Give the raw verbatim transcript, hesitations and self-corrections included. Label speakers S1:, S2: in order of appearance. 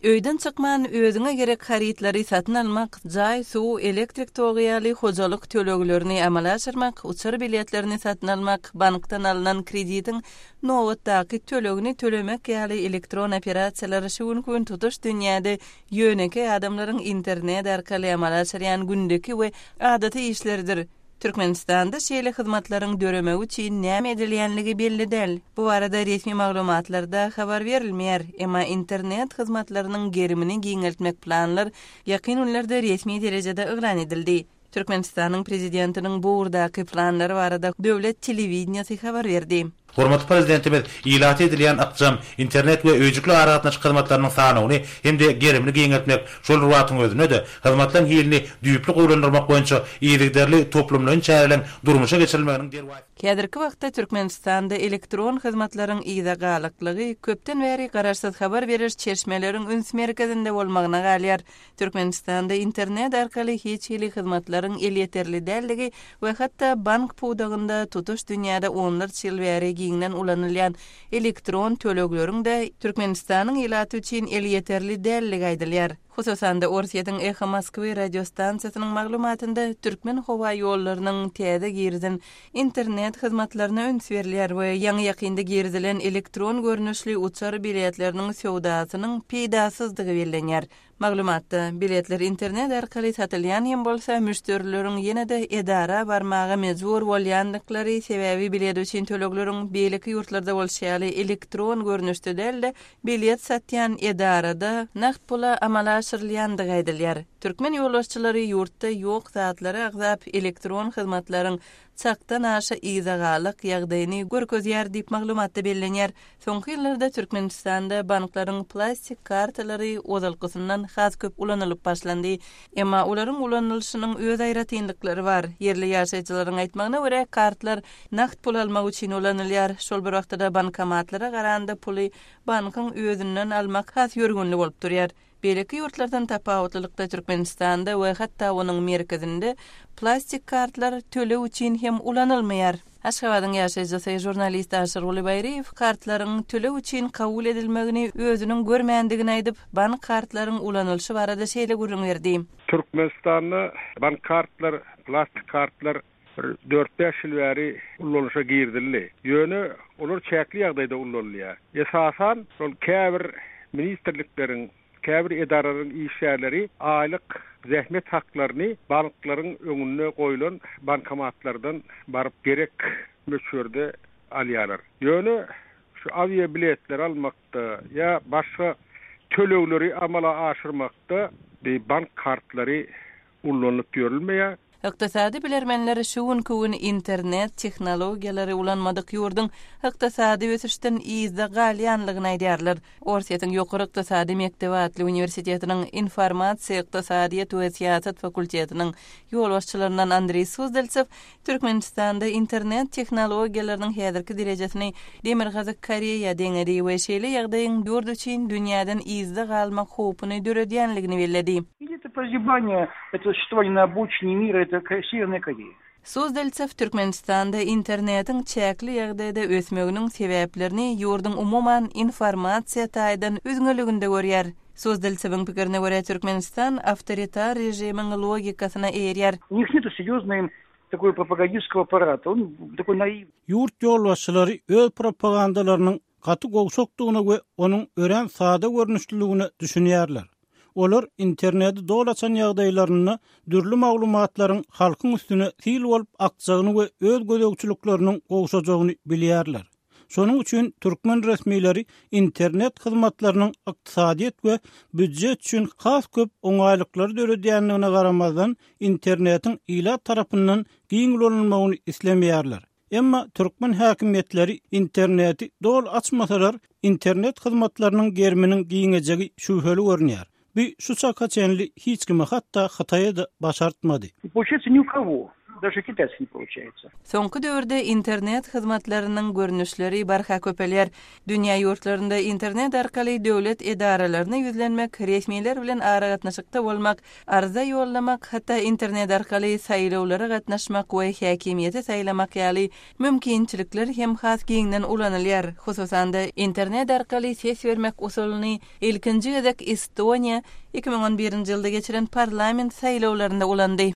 S1: Öýden çykman özüňe gerek harytlary satyn almak, jaý, suw, elektrik togy ýaly hojalyk töleglerini amala aşyrmak, uçar biletlerini satyn almak, bankdan alnan kreditiň nobatdaky tölegini tölemek ýaly elektron operasiýalar şu günki gün tutuş dünýäde ýönekeý adamlaryň internet arkaly amala aşyrýan gündeki we adaty işleridir. Türkmenistanda şeýle hyzmatlaryň döremegi üçin näme edilýänligi belli däl. Bu barada resmi maglumatlarda habar berilmeýär. Emma internet hyzmatlarynyň gerimini giňeltmek planlar ýakyn günlerde resmi derejede yglan edildi. Türkmenistanyň prezidentiniň bu ugurdaky planlary barada döwlet telewideniýesi habar berdi.
S2: Hormatly Prezidentimiz ilata edilýän ykjam internet we öýjükli aragatnaşyk hyzmatlarynyň sanawyny hem-de gerimini giňeltmek, şol bir wagtyň özünde-de, hyzmatlaryň hilini düýpli gowulandyrmak boýunça yzygiderli toplumlaýyn çäreleriň durmuşa geçirilmeginiň derwaýys
S1: Häzirki wagtda Türkmenistanda elektron hyzmatlaryň yza galaklygy köpden bäri garaşsyz habar beriş çeşmeleriň üns merkezinde bolmagyna galýar. Türkmenistanda internet arkaly hiç hili hyzmatlaryň elýeterli dälligi we hatda bank pudagynda tutuş dünýäde onlarça ýyl bäri giňden ulanylýan elektron tölegleriň-de Türkmenistanyň ilaty üçin elýeterli dälligi aýdylýar. Hususan-da Orsýetiň Eho Moskwy radiostansiýasynyň maglumatynda türkmen howa ýollarynyň täze girizen internet hyzmatlaryna üns berilýär we ýaňy-ýakynda girizilen elektron görnüşli uçar biletleriniň söwdasynyň peýdasyzdygy bellenýär. Maglumatda biletler internet arkaly satylýan hem bolsa, müşderileriň ýene-de edara barmaga mejbur bolýandyklary, sebäbi bilet üçin tölegleriň beýleki ýurtlarda bolşy ýaly elektron görnüşde däl-de, bilet satýan edarada nagt pula amala aşyrylýandygy aýdylýar. Türkmen ýolbaşçylary ýurtda ýok zatlary agzap, elektron hyzmatlaryň çakdan aşa yza galak ýagdaýyny görkezýär diýip maglumatda bellenýär. Soňky ýyllarda Türkmenistanda banklaryň plastik kartalary ozalkysyndan has köp ulanylyp başlandy. Emma olaryň ulanylyşynyň öz aýratynlyklary bar. Ýerli ýaşaýjylaryň aýtmagyna görä, kartlar nagt pul almak üçin ulanylýar. Şol bir wagtda bankomatlara garanda puly bankyň özünden almak has ýörgünli bolup durýar. Beýleki ýurtlardan tapawutlylykda Türkmenistanda we hatda onuň merkezinde plastik kartlar töleg üçin hem ulanylmaýar. Aşgabadyň ýaşaýjysy žurnalist Aşyrguly Baýryýew kartlaryň töleg üçin kabul edilmegini özüniň görmändigini aýdyp, bank kartlaryň ulanylyşy barada şeýle gürrüň berdi.
S3: Türkmenistanda bank kartlar, plastik kartlar bir dört-bäş ýyl bäri ulanyşa girizildi. Ýöne olar çäkli ýagdaýda ulanylýar. Esasan şol käbir ministrlikleriň, käbir edaralaryň işgärleri aýlyk zähmet haklaryny banklaryň öňünde goýlan bankomatlardan baryp gerek möçberde alýarlar. Ýöne şu awia biletleri almakda ýa başga tölegleri amala aşyrmakda bank kartlary ulanylyp ýörülmeýär.
S1: Ykdysady bilermenler şu günki gün internet tehnologiýalary ulanmadyk ýurduň ykdysady ösüşden yzda galýanlygyny aýdýarlar. Orsýetiň Ýokary ykdysady mekdebi atly uniwersitetiniň informasiýa, ykdysadyýet we syýasat fakultetiniň ýolbaşçylaryndan Andreý Suzdaltsew Türkmenistanda internet tehnologiýalarynyň häzirki derejesini Demirgazyk Koreýa deňedi we şeýle ýagdaýyň ýurt üçin dünýäden yzda galmak howpuny döredýänligini belledi.
S4: Или это прозябание, это существование на обочине мира, это Северная Корея.
S1: Suzdaltsew Türkmenistanda internetiň çäkli ýagdaýda ösmeginiň sebäplerini ýurduň umuman informasiýa taýdan üzňeliginde görýär. Suzdaltsewiň pikirine görä Türkmenistan awtoritar režimiň logikasyna eýerýär.
S4: У них нету серьезной такой пропагандистского аппарата. Он такой наивный.
S5: Ýurt ýolbaşçylary öz propagandalarynyň gaty gowşakdygyna we onuň örän sada görnüşliligine düşünýärler. Olar interneti doly açan ýagdaýlarynda dürli maglumatlaryň halkyň üstüne sil bolup akjagyny we öz gözegçilikleriniň gowşajagyny bilýärler. Şonuň üçin türkmen resmileri internet hyzmatlarynyň ykdysadyýet we býujet üçin has köp oňaýlyklary döredýändigine garamazdan internetiň ilat tarapyndan giň ulanylmagyny islemeýärler. Emma türkmen häkimiýetleri interneti doly açmasalar, internet hyzmatlarynyň geriminiň giňejegi şübheli görünýär. Bu şu çaka çenli hiç kime hatda Hytaýa-da başartmady.
S4: И получается ни у кого. Даже китайский не получается.
S1: Soňky döwürde internet hyzmatlarynyň görnüşleri barha köpelýär. Dünýä ýurtlarynda internet arkaly döwlet edaralaryna ýüzlenmek, resmiler bilen aragatnaşykda bolmak, arza ýollamak, hatda internet arkaly saýlawlara gatnaşmak we häkimiýeti saýlamak ýaly mümkinçilikler hem has giňden ulanylýar. Hususan-da internet arkaly ses bermek usulyny ilkinji gezek Estoniýa iki müň on birinji ýylda geçiren parlament saýlawlarynda ulandy.